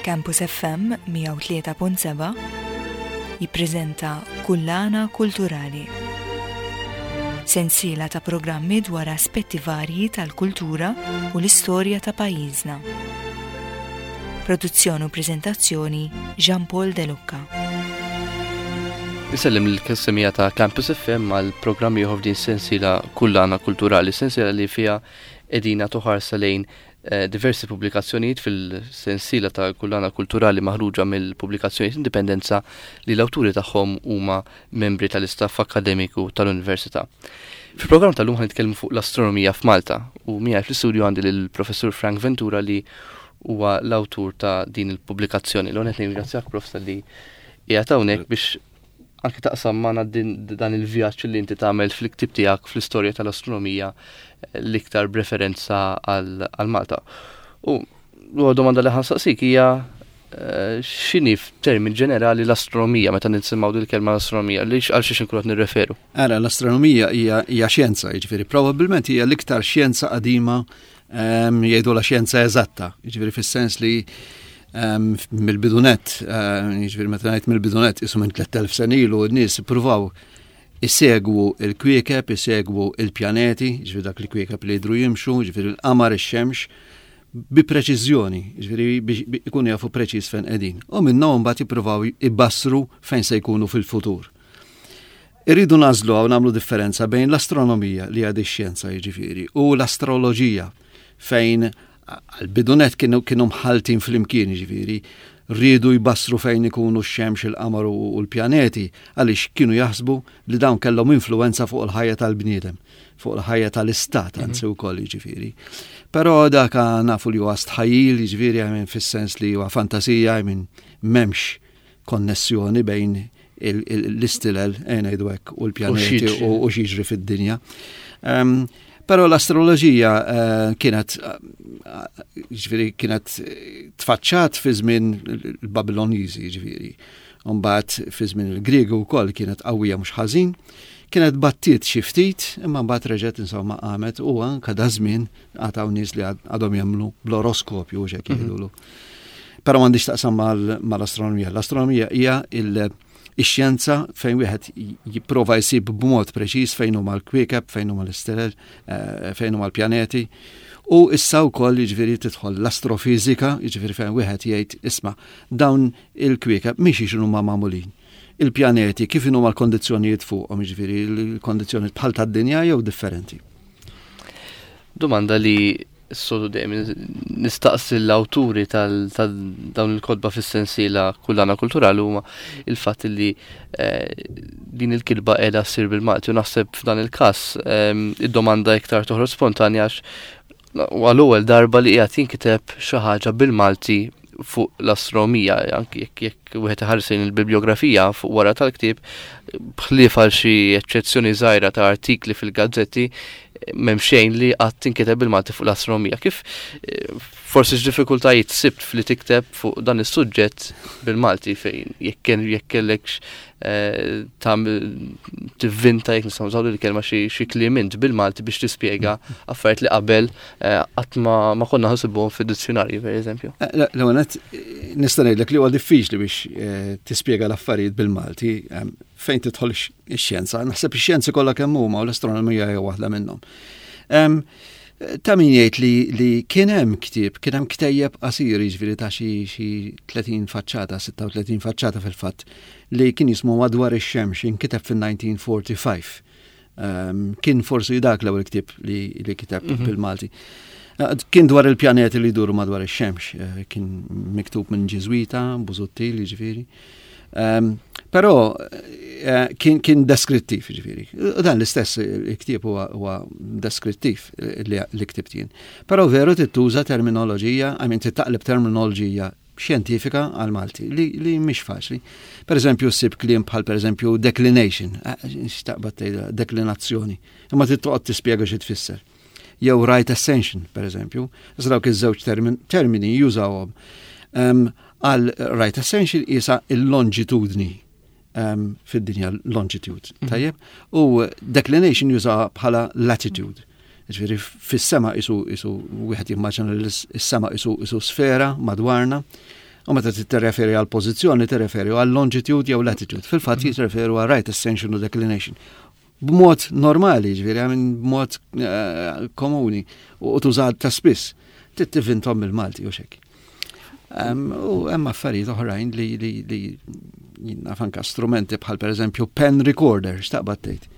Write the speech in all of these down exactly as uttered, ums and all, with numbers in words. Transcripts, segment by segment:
Campus F M mija u tlieta punt seba' jippreżenta Kullana Kulturali. Sensiela ta' programmi dwar aspetti varji tal-kultura u l-istorja ta' pajjiżna. Produzzjoni u preżentazzjoni, Jean Paul De Lucca. Insellem lill-semmiegħa ta' Campus F M għal programm ieħor f'din sensiela Kullana Kulturali, sensiela li fiha qegħdin nagħtu ħarsa lejn eh, diversi pubblikazzjonijiet fil-sensiela ta' Kullana Kulturali maħruġa mill-pubblikazzjonijiet Indipendenza li l-awturi tagħhom huma membri tal-istaff akademiku tal-Università. Fil-programm tal-lum ħa nitkellmu fuq l-astronomija f'Malta u miegħi fl-istudju għandi lill-Professur Frank Ventura, li huwa l-awtur ta' din il-pubblikazzjoni. L-ewwel nirringrazzjak, Prof, li qiegħed hawnhekk biex anke taqsam magħna dan il-vjaġġ li inti tagħmel fil-ktib tiegħek fl-istorja tal-astronomija, eh, l-iktar b'referenza għal Malta. U l domanda li ħa nsaqsik hija eh, x'inhi f'termin ġenerali l-astronomija, meta nisimgħu dil-kelma l-astronomija, li għal xiex inkunu qed nirreferu? Ara, l-astronomija hija xjenza, jiġifieri probabbilment hija l-iktar xjenza qadima, ehm, jgħidu la xjenza eżatta, jiġifieri fis-sens li mill-bidu nett, jiġifieri meta ngħid mill-bidu nett, isu minn tlett elef sena ilu n-nies ippruvaw isegwu il-kwiekeb, isegwu il-pjaneti, jiġifieri dak li kwiekeb li jidru jimxu, jiġifieri l-qamar, ix-xemx, bi preċiżjoni, jiġifieri biex ikunu jafu preċiż fejn qegħdin. U minnhom mbagħad jippruvaw ibassru fejn se jkunu fil-futur. Irridu nagħżlu hawn nagħmlu differenza bejn l-astronomija, li għad ix-xjenza jiġifieri, u l-astroloġija, fejn għal-bidu nett kienu kienu mħaltin flimkien, ġifieri, rridu jbassru fejn ikunu x-xemx, il-qamar u l-pjaneti, għaliex kienu jaħsbu li dawn kellhom influenza fuq il-ħajja tal-bniedem, fuq il-ħajja tal-istat, anzi wkoll jiġifieri. Però dak nafu li huwa stħajjil, jiġifieri, I mean, fis-sens li huwa fantasija, I mean, m'hemmx konnessjoni bejn l-istilel, ngħidu hekk, u l-pjaneti u x'jiġri fid-dinja. Um, Però l-astroloġija uh, kienet ġifieri kienet tfaċċat fi żmien il-Babiloniżi ġifieri. Mbagħad fi żmien il-Griegu wkoll kienet qawwija mhux ħażin. Kienet battiet xi ftit, imma mbagħad reġgħet insomma qamet u anke da żmien għad hawn nies li għadhom jemmnu bl-oroskopju u x'hekk jgħidulu. Però m'għandix taqsam mal-astronomija. L-astronomija hija il- ix-xjenza fejn wieħed jipprova jsib b'mod preċiż fejn huma l-kwiekeb, fejn huma l-istelel, eh, fejn huma l-pjaneti. U issa wkoll jiġifieri tidħol l-astrofizika, jiġifieri fejn wieħed jgħid, "Isma', dawn il-kwiekeb mhix huma magħmulin. Il-pjaneti kif huma l-kondizzjonijiet fuqhom, jiġifieri l-kondizzjonijiet bħal tad-dinja jew differenti?" Domanda li s-soltu dejjem nistaqsi l-awturi tal-dawn il-kotba fis-sensiela Kullana Kulturali huma il-fatt li eh, din il-kitba qiegħda ssir bil-Malti, u naħseb f'dan il-każ ehm, id-domanda iktar toħroġ spontanja għax għal-ewwel darba li qiegħed jinkiteb xi ħaġa bil-Malti fuq l-astronomija, anki jekk jekk wieħed iħares lejn il-bibliografija fuq wara tal-ktieb, b'ħlief għal xi eċċezzjoni żgħira ta' artikli fil-gazzetti, m'hemm xejn li qatt tinkiteb bil-Malti fuq l-astronomija. Kif eh, forsi x'diffikultajiet sibt fli tikteb fuq dan is-suġġett bil-Malti, fejn jekk jekk kellekx eh, tivvinta, jekk nistgħu nużaw il-kelma, xi kliem int bil-Malti biex tispjega affarijiet li qabel eh, qatt ma konna ħsibuhom fid-dizzjonarji, pereżempju? L-ewwel nista' ngħidlek li huwa diffiċli biex tispjega l-affarijiet bil-Malti fejn tidħol ix-xjenza. Naħseb ix-xjenzi kollha kemm huma u l-astronomija hija waħda minnhom. Ta' min jgħid li, li kien hemm ktieb, kien hemm ktejjeb qasir, jiġifieri ta' xi xi tletin faċċata, sitta u tletin faċċata fil-fatt, li kien jismu "Madwar ix-Xemx", inkiteb fil-elf disa' mija u erbgħa u erbgħin. Um, kien forsi dak l-ewwel ktieb li, li kiteb mm -hmm. bil-Malti. Kien dwar il-pjaneti li jduru madwar ix-xemx, eh, kien miktub minn Ġiżwita, Busuttil, jiġifieri. Um, però eh, kien, kien deskrittiv, ġifieri. U dan l-istess il-ktieb huwa, huwa deskrittiv li, li ktibt jien. Però veru tituża terminoloġija, I mean, titaqleb terminoloġija xjentifika għal Malti li, li mhix faċli. Per eżempju, ssib kliem bħal, per eżempju, declination, eh, x'taqbad tgħidha deklinazzjoni, imma tittoqgħod tispjega xi tfisser. Jew right ascension, per eżempju, dawk iż-żewġ termini jużawhom. Um, għal right ascension isa il-longitudni um, fid-dinja, longitude, mm -hmm. tajjeb? U declination juża bħala latitude. Ġifieri fis-sema isu isu wieħed jimmaġina li s-sema isu isu sfera madwarna. U meta tirreferi għal pożizzjoni, tirreferi għal longitude jew latitude. Fil-fatt mm. jirreferu għal right ascension u declination. B'mod normali, ġifieri, għamin b'mod eh, komuni u tużat ta' spiss. Tivvintahom bil-Malti u xek. U hemm affarijiet oħrajn li li li naf anka strumenti bħal, per eżempju, pen recorder, x'taqbad tgħid.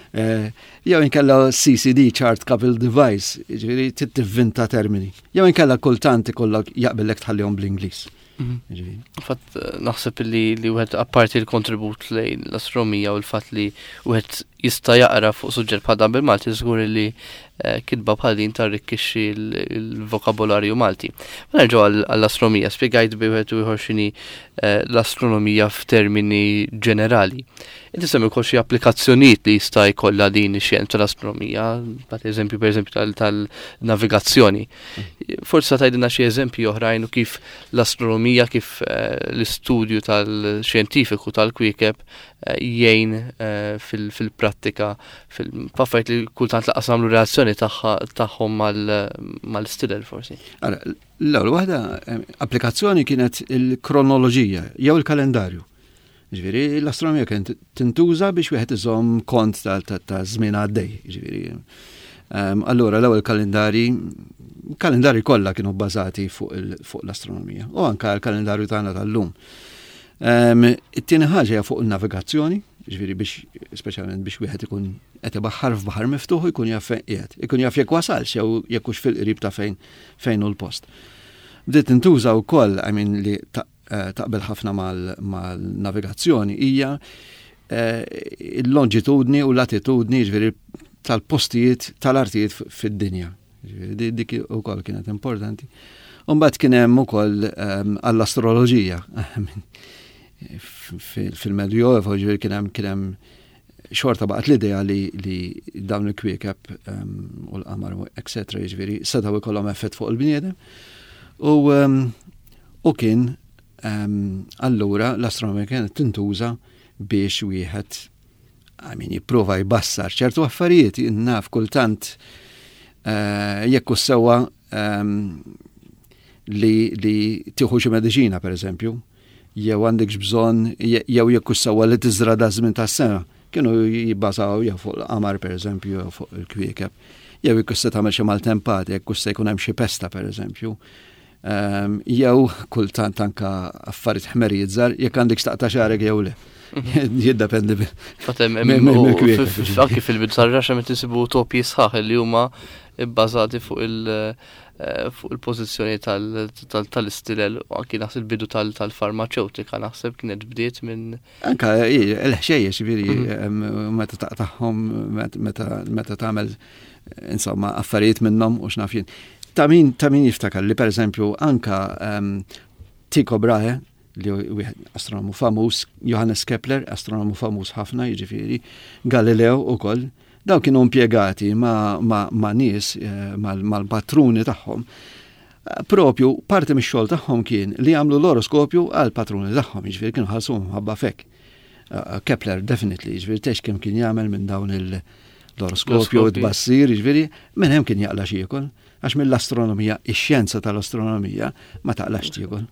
Eh, jew inkella C C D, Chart Coupled Device, ġifieri tivvinta termini. Jew inkella kultant ikollok jaqbillek tħallihom bl-Ingliż. Mhm. Fatt naħseb li li wieħed, apparti l-kontribut lejn l-astronomija u l-fatt li wieħed jista' jaqra fuq suġġett bħal dan bil-Malti, żgur li eh, kitba bħal din tarrikkixxi l-vokabolarju Malti. Ma nerġgħu għall-astronomija, spjegajt bi wieħed u ieħor x'inhi eh, l-astronomija f'termini ġenerali. Inti semmi wkoll xi applikazzjonijiet li jista' jkollha din ix-xjenza l-astronomija, bat eżempju, pereżempju, tal-navigazzjoni. Forsi tgħidilna xi eżempji oħrajn u kif l-astronomija, kif eh, l-istudju tal-xjentifiku tal-kwiekeb eh, jgħin eh, fil-prattika, fil-affarijiet li kultant lanqas nagħmlu relazzjoni tagħhom mal-istilel forsi. L-ewwel waħda applikazzjoni kienet il-kronoloġija jew il-kalendarju. Ġifieri, l-astronomija kien tintuża biex wieħed iżomm kont ta' żmien għaddej. Ġifieri. Allura l-ewwel kalendari, kalendari kollha kienu bbażati fuq l-astronomija u anka l-kalendarju tagħna tal-lum. It-tieni ħaġa hija fuq il-navigazzjoni, ġifieri biex, speċjalment biex wieħed ikun qed ibaħħar f'baħar miftuħ, ikun jaf fejn qiegħed, ikun jaf jekk wasalx jew jekk hux fil-qrib ta' fejn fejn hu l-post. Bdiet tintuża wkoll, I mean, li Eh, taqbel ħafna mal-navigazzjoni hija eh, il-longitudni u l-latitudni, ġifieri tal-postijiet tal-artijiet fid-dinja. Dik ukoll kienet importanti. Umbagħad kien hemm ukoll ehm, għall-astroloġija. Fil-Medjuevo, ġifieri, kien hemm kien hemm xorta baqgħet l-idea li, li dawn il-kwiekeb um, u l-qamar, et cetera, ġifieri setgħu jkollhom effett fuq il-bniedem. U, um, u kien um, allura l-astronomija kienet tintuża biex wieħed, I mean, jipprova jbassar ċertu affarijiet, naf, kultant uh, jekk sewwa um, li, li tieħu xi mediċina, per eżempju, jew għandek bżonn, jew jekk sewwa li tiżra da żmien tas-sena, kienu jibbażaw jew fuq l-qamar, per eżempju, jew fuq il-kwiekeb, jew jekk se tagħmel xi maltempati, jekk se jkun hemm xi pesta, per eżempju. Um, jew kultant anka affarijiet ħmerijiet żgħar, jekk għandek taqta' xagħrek jew le. Jiddependi. Anki fil-bidu tar-raxa meta insibu utopji sħaħ li huma bbażati fuq il- eh, fuq il-pożizzjoni tal-istilel u anki naħseb il-bidu tal-farmaceutika naħseb kienet bdiet minn. Anka il-ħxejjex, ġifieri, mhm. meta taqtagħhom, meta tagħmel, insomma, affarijiet minnhom u x'naf jien. Ta' min ta' min jiftakar li, per eżempju, anka um, Tycho Brahe, li wieħed astronomu famuż, Johannes Kepler, astronomu famuż ħafna, jiġifieri, Galileo ukoll, daw kienu impjegati ma, ma, ma nies, eh, mal-patruni tagħhom. Propju parti mix-xogħol tagħhom kien li jagħmlu l-oroskopju għal patruni tagħhom, jiġifieri kienu ħallsuhom ħabba fek. Uh, Kepler definitely, jiġifieri tex kemm kien jagħmel minn dawn l-oroskopju u tbassir, jiġifieri minn hemm kien jaqla' x'jiekol, għax mill-astronomija, ix-xjenza tal-astronomija, ma taqlax tiekol.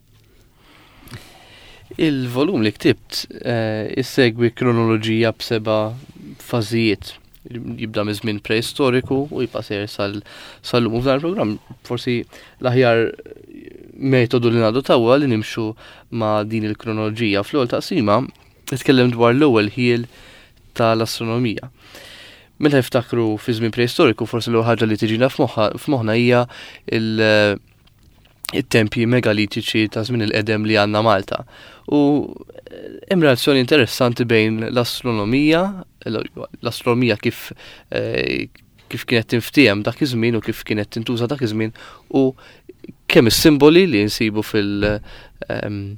Il-volum li ktibt eh, issegwi kronoloġija b'seba' fażijiet. Jibda minn żmien preistoriku u jibqa' sejjer sal-lum. U f'dan il-programm forsi l-aħjar metodu li nadottaw li nimxu ma' din il-kronoloġija. Fl-ewwel taqsima nitkellem dwar l-ewwel ħjiel tal-astronomija. Meta niftakru fi żmien preistoriku, forsi l ħaġa li tiġina f'moħħna hija il- it-tempji megalitiċi ta' żmien il-qedem li għandna Malta. U hemm relazzjoni interessanti bejn l-astronomija, l-astronomija kif eh, kif kienet tinftiehem dak iż-żmien u kif kienet tintuża dak iż-żmien u kemm is-simboli li nsibu fil- ehm,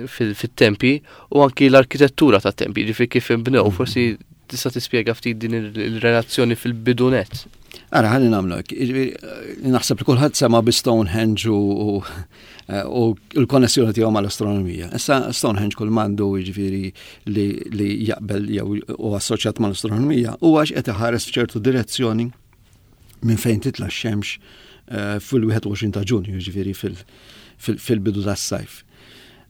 fil-tempi u anki l-arkitettura ta' tempi, ġifieri kif inbnew, forsi tista' tispjega ftit din il-relazzjoni fil-bidunet. Ara, ħalli nagħmlu, naħseb li kulħadd sema bi Stonehenge u u l-konnessjoni tiegħu mal-astronomija. Issa Stonehenge kull m'għandu, jiġifieri, li, li jaqbel jew u assoċjat mal-astronomija u għax qed iħares f'ċertu direzzjoni minn fejn titla' x-xemx eh, fil-wieħed u għoxrin ta' Ġunju, jiġifieri fil- fil-bidu tas-sajf.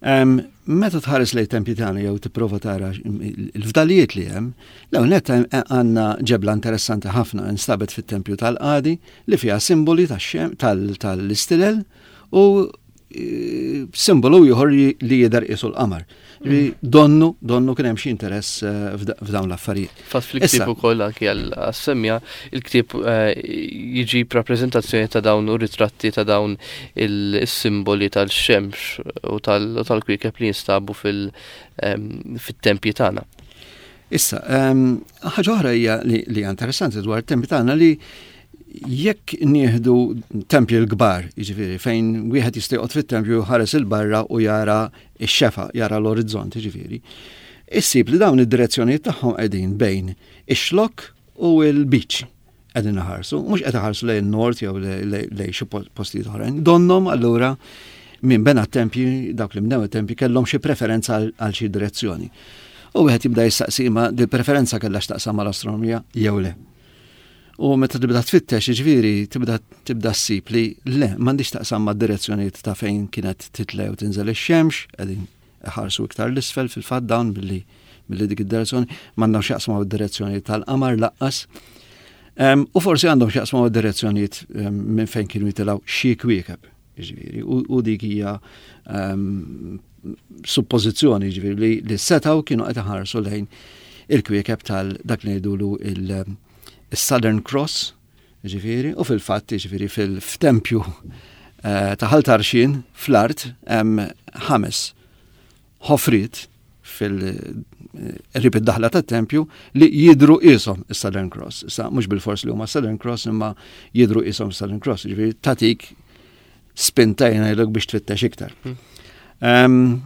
Meta tħares lejn tempji tagħna jew tipprova tara il-fdalijiet li hemm, l-ewwel nett għandna ġebla interessanti ħafna instabet fit-tempju tal-Qadi li fiha simboli tal-istilel u e, simbolu ieħor li jidher qisu l-qamar. Mm. Donnu, donnu kien hemm xi interess eh, f'dawn l-affarijiet. Fatt fil-ktieb ukoll anki għas-semmija, il-ktieb eh, jiġi rappreżentazzjoni ta' dawn u ritratti ta' dawn il-simboli tal-xemx u tal-kwiekeb li jinstabu fil-tempji tagħna. Issa, ħaġa oħra hija li hija interessanti dwar it-tempji tagħna li jekk nieħdu tempji l-kbar, jiġifieri fejn wieħed jista' joqgħod fit-tempju ħares 'il barra u jara x-xefaq, jara l-orizzont, jiġifieri. Issib li dawn id-direzzjonijiet tagħhom qegħdin bejn ix-Xlokk u l-Lbiċ qegħdin iħarsu, mhux qed iħarsu lejn nord jew lejn xi postijiet oħrajn. Donnom allura min bena tempji, dawk li bnew it-tempji kellhom xi preferenza għal xi direzzjoni. U wieħed jibda jistaqsi ma di preferenza kellha x'taqsam mal-astronomija jew le. U meta tibda tfittex, ġifieri, tibda tibda ssib li le, m'għandix taqsam ma' direzzjonijiet ta' fejn kienet titla' u tinżel ix-xemx, qegħdin iħarsu iktar 'l isfel fil-fatt dawn billi billi dik id-direzzjoni, m'għandhom x'jaqsmu id-direzzjoni tal-qamar lanqas. U forsi għandhom x'jaqsmu id-direzzjonijiet minn fejn kienu jitilgħu xi kwiekeb, ġifieri, u dik hija suppożizzjoni, ġifieri, li, li setgħu kienu qed iħarsu lejn il-kwiekeb tal dak li ngħidulu il- il-Southern Cross, ġifieri, u fil-fatt, ġifieri, fil-tempju eh, ta' Ħal Tarxien fl-art hemm ħames ħofriet fil-qrib id-daħla tat-tempju li jidru qishom is-Southern Cross. Issa mhux bil-fors li huma Southern Cross imma jidru qishom Southern Cross, ġifieri tatik spinta jgħidlek biex tfittex iktar. Hmm.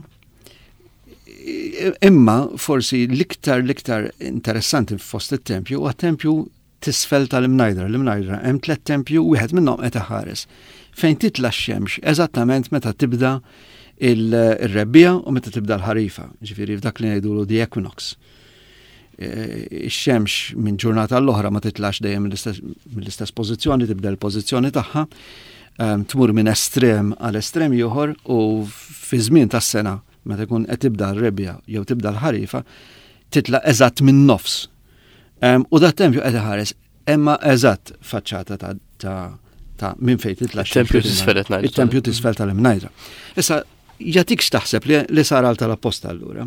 Imma forsi l-iktar l-iktar interessanti fost it-tempju huwa tempju t'isfel tal-Imnajdra. L-Imnajdra hemm tliet tempju, wieħed minnhom qed iħares. Fejn titla' x-xemx eżattament meta tibda il-rebbiegħa u meta tibda l-ħarifa, ġifieri f'dak li ngħidulu the equinox. E, ix-xemx minn ġurnata l-oħra ma titlax dejjem mill-istess pożizzjoni, tibda l-pożizzjoni tagħha, tmur minn estrem għal estrem ieħor u fi żmien tas-sena meta jkun qed tibda r-rebbiegħa jew tibda l-ħarifa, titla' eżatt minn nofs. U dat tempju qed iħares imma eżatt faċċata ta' ta' minn fejn titla' Tempju t'isfel qed Il-tempju t'isfel tal-Imnajdra. Issa jatik x'taħseb li, li sar għal tal-apposta allura.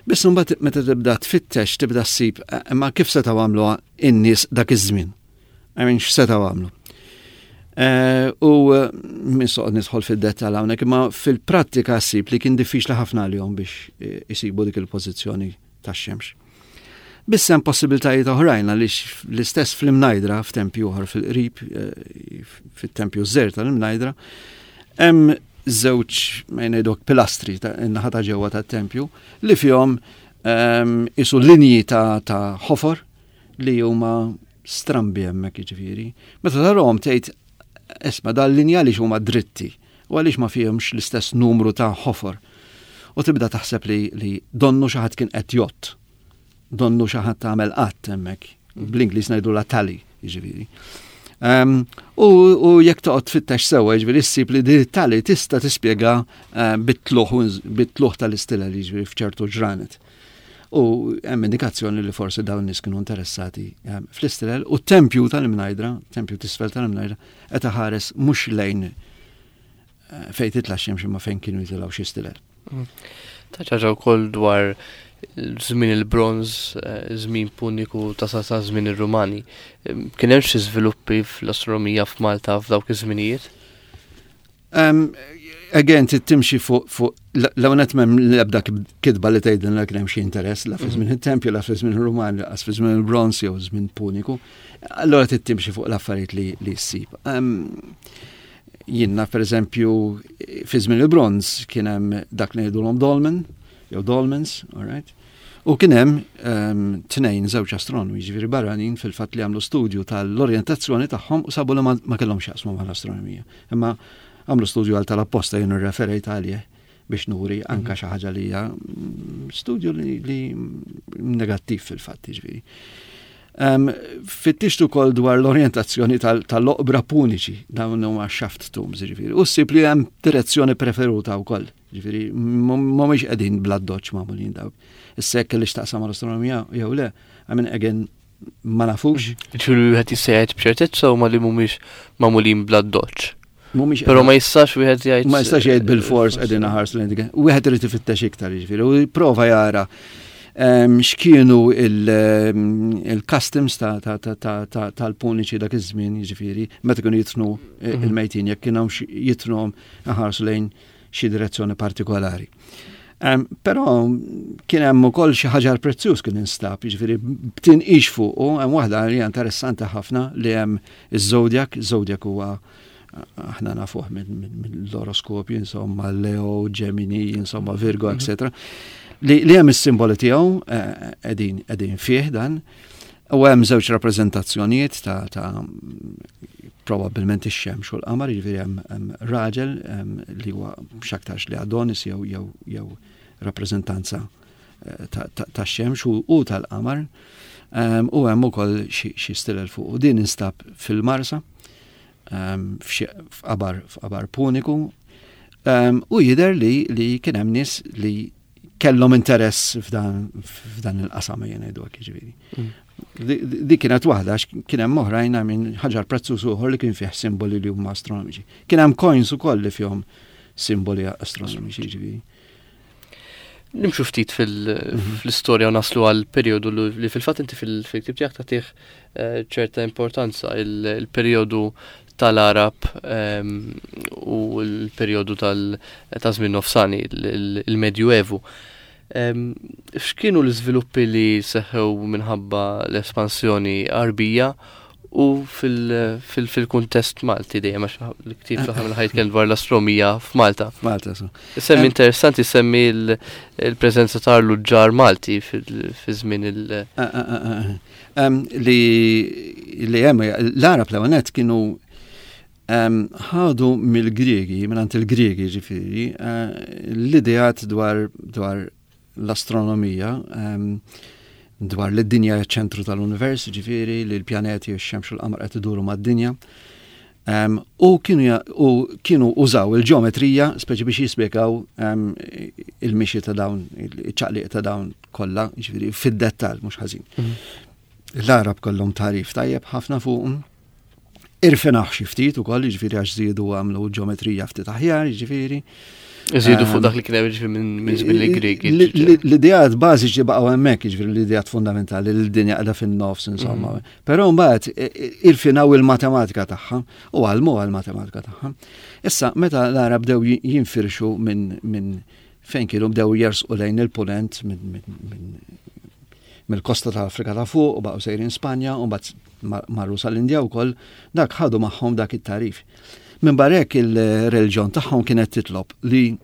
Biss mbagħad meta tibda tfittex tibda ssib imma kif setgħu għamluha in-nies dak iż-żmien. I mean x'setgħu għamlu. Eh, u eh, minn soqgħod nidħol fid-dettall hawnhekk, imma fil-prattika ssib li kien diffiċli ħafna għalihom biex eh, isibu dik il-pożizzjoni tax-xemx. Biss hemm possibiltajiet oħrajn għaliex l-istess fl-Imnajdra f'tempju oħor fil-qrib, fit-tempju żgħir tal-Imnajdra, hemm żewġ ma ngħiduk pilastri in-naħa ta' ġewwa tat-tempju li fihom ehm, isu linji ta' ta' ħofor li huma strambi hemmhekk jiġifieri. Meta tarahom tgħid isma' dal-linja li huma dritti u għaliex ma fihomx l-istess numru ta' ħofor. U tibda taħseb li, li donnu xi ħadd kien qed jgħodd. Donnu xi ħadd għamel qatt hemmhekk. Bl-Ingliż ngħidu la tally, jiġifieri. Um, u, u jekk toqgħod tfittex sewwa, jiġifieri ssib li din tally tista' tispjega uh, bit-tluħ tal-istilla li jiġifieri f'ċertu ġranet. U hemm indikazzjoni li forsi dawn nies kienu interessati um, fl-istilel u t-tempju tal-Imnajdra, tempju t'isfel tal-Imnajdra, qed iħares mhux lejn uh, fejn titla' xemx imma fejn kienu jitilgħu xi stilel. Mm. Taċaġa wkoll dwar żmien il-bronż, eh, żmien puniku ta' sa ta' żmien ir-Rumani. Kien hemm xi żviluppi fl-astronomija f'Malta f'dawk iż-żminijiet? Um, again, timxi fuq fuq l-għonet mem l-ebda kitba li tgħidilna kien hemm xi interess la fi żmien mhm. it-tempju, la fi żmien ir-Rumani, la fi żmien il-bronż jew żmien puniku. Allora timxi fuq l-affarijiet li li ssib. Um, jiena per eżempju fi żmien il-bronż kien hemm dak li ngħidulhom dolmen, jew dolmens, all right? U kien hemm um, tnejn żewġ astronomi, ġifieri barranin fil-fatt li għamlu studju tal-orjentazzjoni tagħhom u sabu li ma, ma kellhom x'jaqsmu mal-astronomija. Imma għamlu studju għal tal-apposta jien irreferejt għalih biex nuri anka mhm. xi ħaġa li hija mm, studju li, li negattiv fil-fatt ġifieri. Um, Fittixtu ukoll dwar l-orientazzjoni tal-oqbra puniċi, dawn huma shaft tombs, ġifieri. U ssib li hemm direzzjoni preferuta wkoll, ġifieri mhumiex qegħdin bl-addoċċ magħmulin dawk. Issa jekk li x'taqsam mal-astronomija jew le, I mean, again, ma nafux. Ġifieri wieħed jista' jgħid b'ċertezza huma li mhumiex magħmulin bl-addoċċ. Mhumiex Però ma jistax wieħed jgħid. Ma jistax jgħid bil-fors qegħdin ħarsu lejn dik. Wieħed irid ifittex iktar, jiġifieri, u jipprova jara em, x'kienu il-customs tal-puniċi dak iż-żmien, jiġifieri, meta kienu jidfnu Mhm. il-mejtin, jekk kienu jidfnuhom ħarsu lejn xi direzzjoni partikolari. Um, Però kien hemm ukoll xi ħaġar prezzjuż kien instab, jiġifieri b'tinqix fuqu, hemm waħda li hija interessanti ħafna li hemm iż-Zodiac, iż-Zodiac huwa aħna nafuh mill-oroskopju, insomma, Leo, Gemini, insomma, Virgo, eccetera. Li, li hemm is-simboli tiegħu qegħdin qegħdin fih dan. U hemm żewġ rappreżentazzjonijiet ta', ta probabbilment ix-xemx u l-qamar, jiġifieri hemm hemm raġel em, li huwa x'aktarx li Adonis jew jew jew rappreżentanza eh, ta' ta' tax-xemx u, u tal-qamar. Um, u hemm ukoll xi xi stilel fuq. U din instab fil-Marsa, um, f'xi f'qabar f'qabar puniku. Um, u jidher li li kien hemm nies li kellhom interess f'dan f'dan il-qasam jien ngħidu hekk jiġifieri. Mm. Di di kienet waħda għax kien hemm oħrajn minn ħaġar prezzjuż ieħor li kien fih simboli li huma astronomiċi. Kien hemm coins ukoll li fihom simboli astronomiċi jiġifieri. Nimxu ftit fil- fl-istorja u naslu għal periodu li li fil-fatt inti fil-ktieb tiegħek tagħtih eh, ċerta importanza il- il-periodu tal-Arab ehm, u l-periodu tal- ta' żmien nofsani, il- il-Medjuevu. Ehm, X'kienu l-iżviluppi li seħħew minħabba l-espansjoni Arbija u fil- fil- fil-kuntest Malti dejjem għax l-ktieb fl-aħħar mill-aħħar jitkellem dwar l-astronomija f'Malta. Malta, so. Semmi Em- interessanti semmi l- il-preżenza ta' l-ġar Malti fil- fi żmien il- Ah, ah, ah, ah. Em, Li li hemm l-Arab l kienu em, ħadu mill-Griegi, minn il-Griegi ġifieri, eh, l-ideat dwar dwar l-astronomija, em, dwar li d-dinja hija ċentru tal-univers, ġifieri, li l-pjaneti u x-xemx u l-qamar qed iduru mad-dinja. Um, u kienu, ja- u kienu użaw il-ġeometrija speċi biex jispjegaw um, il-mixi ta' dawn, il-ċaqliq ta' dawn kollha, ġifieri fid-dettall mhux ħażin. L-Arab kollhom tagħrif tajjeb ħafna fuqhom. Irfinaħ xi ftit ukoll, jiġifieri għax żiedu għamlu ġeometrija ftit aħjar, jiġifieri. Iżidu fuq Em, dak li kien hemm ġifieri minn minn żmien il-Griegi. L- l- L-ideat bażiċi baqgħu hemmhekk, jiġifieri l-ideat fundamentali, l-dinja qiegħda fin-nofs, insomma. Però mbagħad i- i- irfinaw il-matematika tagħha u għallmu għall-matematika tagħha. Issa meta l-Arab bdew ji- jinfirxu minn minn fejn kienu bdew jersqu lejn il-punent minn minn- minn mill-kosta tal-Afrika ta' fuq u baqgħu sejrin Spanja u mbagħad mar- marru sal-Indja wkoll, dak ħadu magħhom dak it-tagħrif. Minn barra hekk il-reliġjon tagħhom kienet titlob li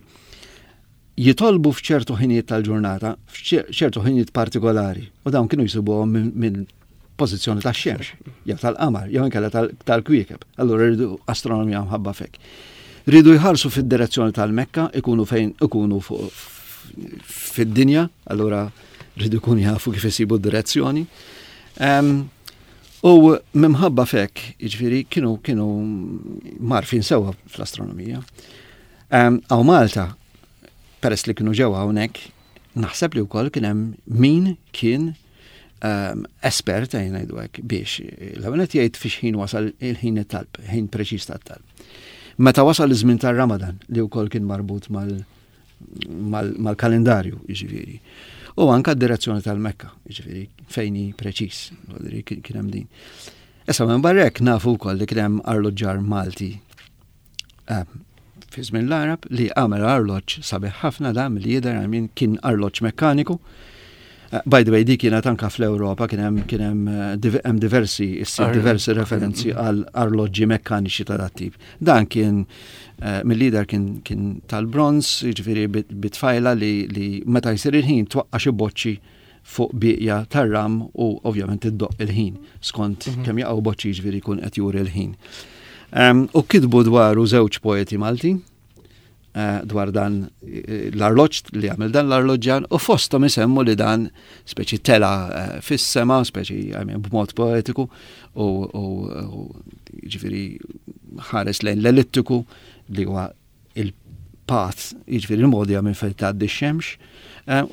jitolbu f'ċertu ħinijiet tal-ġurnata, f'ċertu ħinijiet partikolari, u dawn kienu jsibuhom minn min pożizzjoni tax-xemx, jew tal-qamar, jew inkella tal- tal-kwiekeb. Allura rridu astronomija mħabba fek. Ridu jħarsu fid-direzzjoni tal-Mekka, ikunu fejn ikunu fuq fid-dinja, allura rridu jkunu jafu kif isibu d-direzzjoni. Em, U minħabba fek, jiġifieri, kienu kienu mgħarrfin sewwa fl-astronomija. Em, Hawn Malta, peress li kienu ġewwa hawnhekk, naħseb li wkoll kien hemm min kien um, espert ejja ngħidu hekk biex l-ewwel qed jgħid fiex ħin wasal il-ħin it-talb, ħin preċiż tat-talb. Meta wasal iż-żmien tar-Ramadan li wkoll kien marbut mal mal- mal-kalendarju, jiġifieri. U anka d-direzzjoni tal-Mekka, jiġifieri fejn hi preċiż, jiġifieri kien kien hemm din. Issa minn barra hekk nafu wkoll li kien hemm arloġġar Malti eh, fi żmien l-Arab li għamel arloġġ sabiħ ħafna da milli jidher għamin kien arloġġ mekkaniku. Eh, By the way, di kienet anka fl-Ewropa kien hemm kien hemm eh, div- hemm diversi issib Ar- diversi referenzi għal arloġġi mekkaniċi ta' dat tip. Dan kien eh, mill-lider kien kien tal-bronz, jiġifieri bit- bitfajla li, li meta jsir il-ħin twaqqa xi boċċi fuq bieqja tar-ram u ovvjament iddoq il-ħin skont Mhm. kemm jaqgħu boċċi jiġifieri jkun qed juri l-ħin. Um, u kitbu dwaru żewġ poeti Malti, eh, dwar dan eh, l-arloġġ li għamel dan l-arloġġan u fosthom isemmu li dan speċi tela eh, fis-sema, speċi, I mean, b'mod poetiku u ġifieri ħares lejn l-ellittiku li huwa il-path, jiġifieri il-modja minn fejn tgħaddi x-xemx,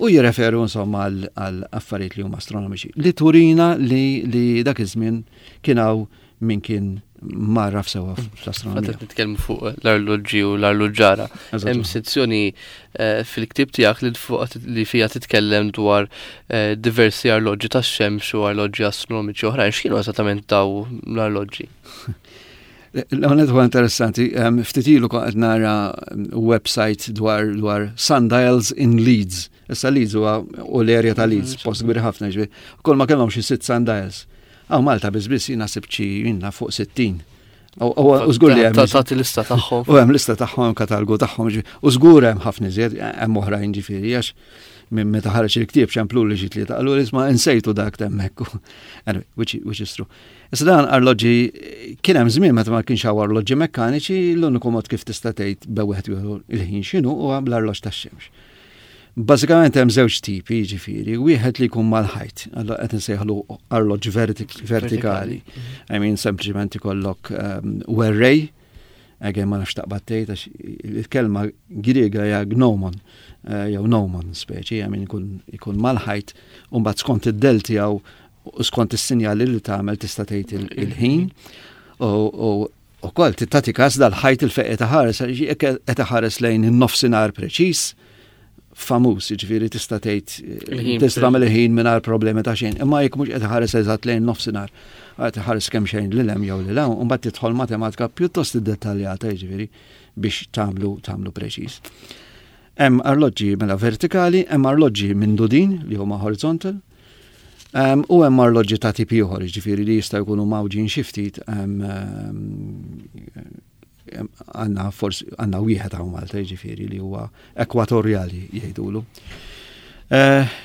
u jirreferu insomma għal affarijiet li huma astronomiċi. Li turina li, li dak iż-żmien kien hawn min kien marraf sewa fl-astronomija. Għadet nitkellmu fuq l-arloġġi u l-arloġġara. Hemm sezzjoni eh, fil-ktieb tiegħek li fuq li fiha titkellem dwar eh, diversi arloġġi tax-xemx u arloġġi astronomiċi oħrajn. X'kienu eżattament daw l-arloġġi? L-għonet huwa interessanti, ftit ilu kont qed nara website dwar dwar sundials in Leeds. Issa Leeds huwa u l-area ta' Leeds, post kbir ħafna ġifieri. Kull ma kellhom xi sitt sundials. Hawn Malta biss biss jiena sibt xi jiena fuq sittin. U żgur li hemm. Tagħti lista tagħhom. U hemm lista tagħhom, katalgu tagħhom, u żgur hemm ħafna iżjed, hemm oħrajn ġifieri għax minn meta ħareġ il-ktieb ċemplu li xi tlieta qalu isma' insejtu dak hemmhekk. Anyway, which, which is true. Issa dan arloġġi kien hemm żmien meta ma kienx hawn arloġġi mekkaniċi, l-uniku mod kif tista' tgħid be wieħed jieħu il-ħin x'inhu huwa bl-arloġġ tax-xemx. Bażikament hemm żewġ tipi, jiġifieri, wieħed li jkun mal-ħajt, allora qed insejħlu arloġġ vertikali. I mean, sempliċement ikollok um, werrej, again ma nafx taqbad tgħid għax il-kelma Griega hija gnomon, eh, jew gnomon speċi, I mean ikun ikun mal-ħajt, u mbagħad skont id-del tiegħu u skont is-sinjali li tagħmel tista' tgħid il-ħin. U ukoll tagħti każ dal-ħajt il-fejn qed iħares, jekk qed iħares lejn in-nofsinhar preċiż, famuż, jiġifieri tista' tgħid tista' tagħmel il-ħin mingħajr problemi ta' xejn, imma jekk mhux qed iħares eżatt lejn nofsinhar, qed iħares kemm xejn lil hemm jew lil hawn, u mbagħad tidħol matematika pjuttost iddettaljata jiġifieri biex tagħmlu tagħmlu preċiż. Hemm arloġġi mela vertikali, hemm arloġġi mindudin li huma horizontal, um, u hemm arloġġi ta' tipi ieħor, jiġifieri li jistgħu jkunu mawġin xi ftit għandna forsi għandna wieħed hawn Malta jiġifieri li huwa ekwatorjali jgħidulu. Uh,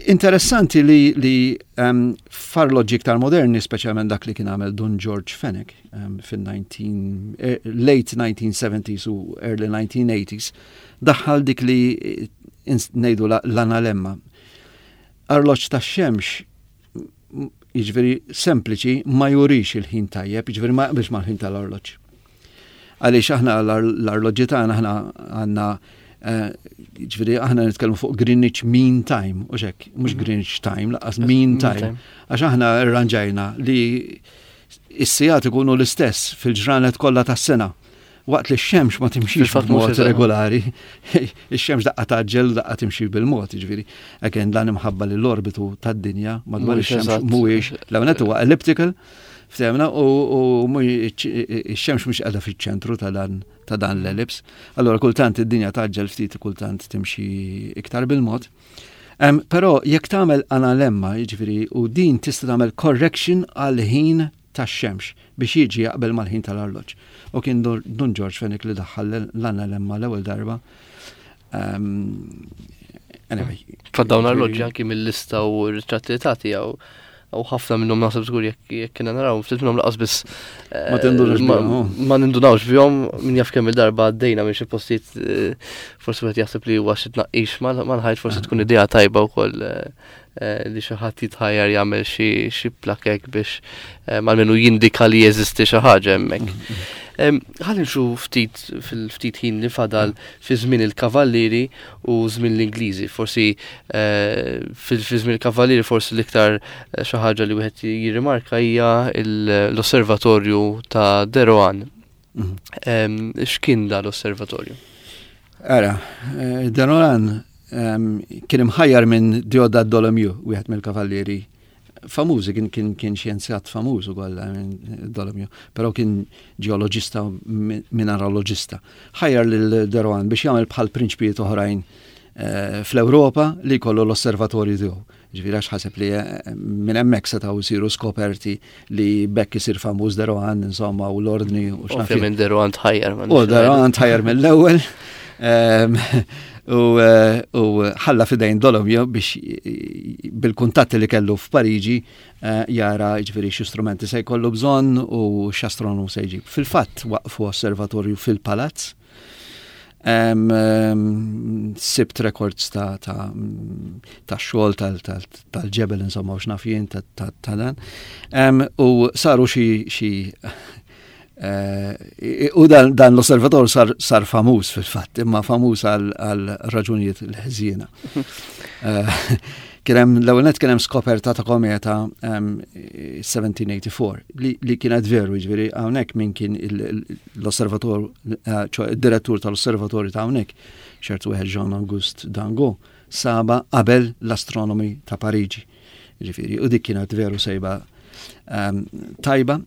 interessanti li, li um, f'arloġġi iktar moderni, speċjalment dak li kien għamel Dun George Fenech um, fin-nineteen eh, late nineteen seventies u early nineteen eighties, daħħal dik li ngħidu l-analemma. Arloġġ tax-xemx jiġifieri sempliċi ma jurix il-ħin tajjeb, jiġifieri ma jaqbilx mal-ħin tal-arloġġ. Għaliex aħna l-arloġġi tagħna aħna għandna eh, jiġifieri aħna nitkellmu fuq Greenwich Mean Time, u xek, mhux mhm. Greenwich Time, lanqas Mean Time. Għax aħna rranġajna li is-sigħat ikunu l-istess fil-ġranet kollha tas-sena waqt li x-xemx ma timxix b'mod regolari, ix-xemx daqqa tgħaġġel, daqqa timxi bil-mod, ġifieri. Again, dan imħabba li l-orbitu tad-dinja madwar ix-xemx mhuwiex, l-ewwel huwa elliptical, ftehmna, u x-xemx mhux qiegħda fiċ-ċentru ta' dan ta' dan l-ellipse. Allora kultant id-dinja tgħaġġel ftit, kultant timxi iktar bil-mod. Però jekk tagħmel analemma, jiġifieri, u din tista' tagħmel correction għal ħin tax-xemx biex jiġi jaqbel mal-ħin tal-arloġġ. U kien Dun George Fenech li daħħal l-analemma l-ewwel darba. Anyway. Dawn arloġġi anki mill-lista u r-ritratti li tagħti jew u ħafna minnhom naħseb żgur jekk kiena naraw, ftit minnhom lanqas biss Ma tindunawx bihom. Ma nindunawx bihom, min jaf kemm il-darba għaddejna minn xi postijiet, eh, forsi wieħed jaħseb li huwa xi tnaqqix mal-ħajt, forsi tkun idea tajba wkoll eh, eh, li xi ħadd jitħajjar jagħmel xi plakek biex almenu jindika li jeżisti xi ħaġa hemmhekk. Ħalli nimxu ftit fil-ftit ħin li fadal fi żmien il-Kavallieri u żmien l-Ingliżi. Forsi eh, fi żmien il-Kavallieri forsi l-iktar eh, xi ħaġa li wieħed jirrimarka hija l-osservatorju ta' De Rohan. Mhm. X'kien da l-osservatorju? Ara, eh, De Rohan kien imħajjar minn Deodat Dolomieu, wieħed mill-Kavallieri famużi, kien kien kien xjenzjat famuż ukoll Dolomieu, però kien ġeoloġista, mineralogista. Ħajjar lil De Rohan biex jagħmel bħal prinċpijiet oħrajn eh, fl-Ewropa li jkollu l-osservatorju tiegħu. Ġifieri għax ħaseb li eh, minn hemmhekk setgħu jsiru skoperti li bekk isir famuż De Rohan, insomma, u l-ordni u x'naf. Ovvjament De Rohan tħajjar. U De Rohan tħajjar mill-ewwel. Ehm, u eh, ħalla fidejn Dolomieu biex bil-kuntatti li kellu f'Pariġi eh, jara ġifieri x'strumenti se jkollu bżonn u x'astronomu se jġib. Fil-fatt waqfu osservatorju fil-palazz. Em, em, sibt records ta' ta' ta' xogħol tal- tal- tal-ġebel insomma u x'naf jien ta' ta' ta' dan. Em, U saru xi xi eh, u dan, dan l-osservator sar, sar famuż fil-fatt, imma famuż għal, għal raġunijiet l-ħżiena. Eh, Kien hemm l-ewwel nett kien hemm skoperta ta' kometa em, seventeen eighty-four li, li kienet veru, jiġifieri hawnhekk min kien il- il- l-osservator, eh, ċoè id-direttur tal-osservatorju ta' hawnhekk, ċertu wieħed Jean Auguste Dangot, saba qabel l-astronomi ta' Pariġi. Jiġifieri, u dik kienet veru sejba em, tajba.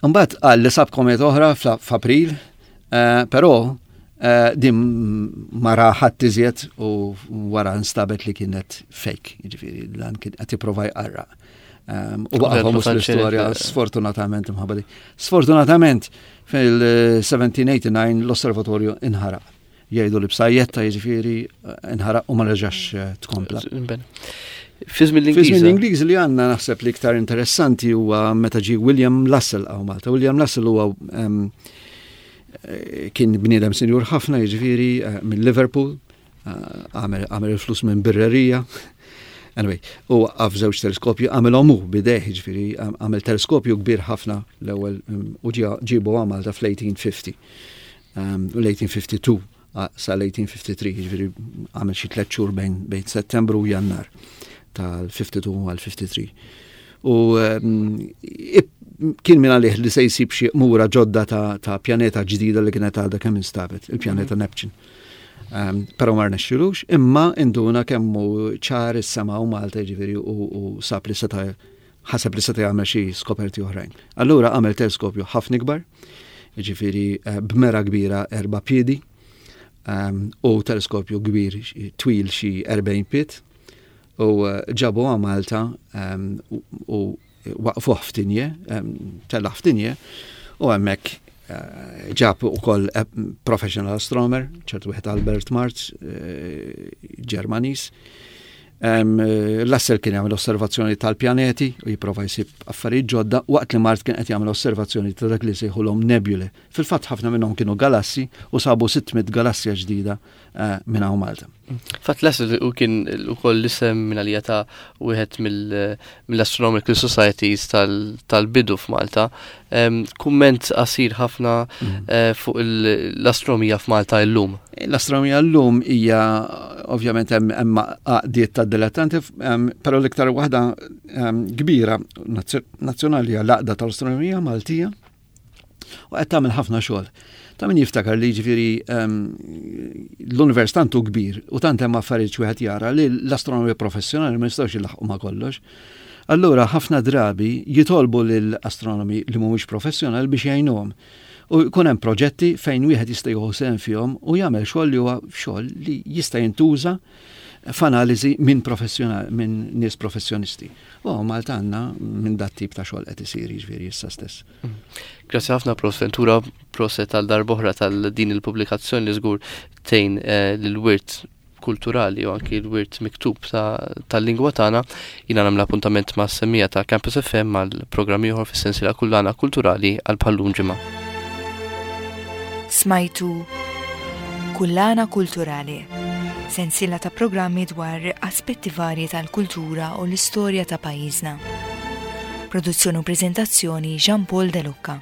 Mbagħad qal li sab kometa oħra fl- f'April, eh, però eh, din ma ra ħadd iżjed u wara nstabet li kienet fake, jiġifieri dan kien qed jipprova jqarraq. Um, u baqa' famuż l-istorja sfortunatament imħabba di. Sfortunatament fil-seventeen eighty-nine l-osservatorju inħaraq. Jgħidu li b'sajjetta, jiġifieri inħaraq u ma reġax eh, tkompla. Fi żmien Fi żmien l-Ingliżi. l-Ingliż li għandna naħseb li iktar interessanti huwa meta ġie William Lassell hawn Malta. William Lassell huwa em, eh, kien bniedem sinjur ħafna, jiġifieri eh, minn Liverpool, eh, għamel għamel il-flus minn birrerija. Anyway, u għaf żewġ teleskopju, għamilhom hu b'idejh, jiġifieri għamel teleskopju kbir ħafna l-ewwel em, u ġie- ġibu hawn Malta fl-eighteen fifty. Um, u l-eighteen fifty-two sal-eighteen fifty-three, jiġifieri għamel xi tliet xhur bejn bejn Settembru u Jannar tal-fifty-two għal fifty-three. U um, ip- kien minn għalih li se jsib xi mura ġodda ta', ta' pjaneta ġdida li kienet għadha kemm instabet, il-pjaneta Neptune. Um, Pero ma rnexxilux, imma induna kemm hu ċar is-sema u Malta, ġifieri u, u sab li seta' ħaseb li seta' jagħmel xi skoperti oħrajn. Allura għamel teleskopju ħafna ikbar, ġifieri eh, b'mera kbira erba' piedi, um, u teleskopju kbir xi- twil xi erbgħin pied, u eh, ġabu hawn Malta um, u, u waqfuh f'Tigne, um, tella' f'Tigne, u hemmhekk eh, ġab ukoll eh, professional astronomer, ċertu wieħed Albert Marz, eh, Ġermaniż. Um, Lassell kien jagħmel osservazzjoni tal-pjaneti u jipprova jsib affarijiet ġodda waqt li Marz kien qed jagħmel osservazzjoni ta' dak li sejħulhom nebule. Fil-fatt ħafna minnhom kienu galassi u sabu sitt mitt galassja ġdida uh, minn hawn Malta. Fatt Lassell u kien ukoll l-isem minn għalija ta' wieħed mill-Astronomical Societies tal-bidu f'Malta. Kumment qasir ħafna mm. eh, fuq l-astronomija f'Malta illum. L-astronomija llum hija ovvjament hemm għaqdiet ta' dilettanti, però l-iktar waħda kbira nazzjonali hija l-Għaqda tal-Astronomija Maltija u qed tagħmel ħafna xogħol. Ta' min jiftakar li ġifieri l-univers tant hu kbir u tant hemm affarijiet wieħed jara li l-astronomija professjonali ma jistgħux jilaħqu ma' kollox. Allura ħafna drabi jitolbu lill-astronomi li mhumiex professjonali biex jgħinuhom. U jkun hemm proġetti fejn wieħed jista' jieħu sehem fihom u jagħmel xogħol li huwa xogħol li jista' jintuża f'analiżi minn professjonali, minn nies professjonisti. U Malta għandna minn dat tip ta' xogħol qed isir, jiġifieri issa stess. Mm. Grazzi ħafna, Prof Ventura, proset għal darb'oħra tal-din il-pubblikazzjoni li żgur tgħin eh, lil-wirt kulturali u anki l-wirt miktub tal-lingwa tagħna. Jiena nagħmel appuntament ma' semmiegħa ta' Campus F M għal programm ieħor fis-sensiela Kullana Kulturali għal bħal-lum ġimgħa. Smajtu Kullana Kulturali, sensiela ta' programmi dwar aspetti varji tal-kultura u l-istorja ta' pajjiżna. Produzzjoni u prezentazzjoni Jean Paul De Lucca.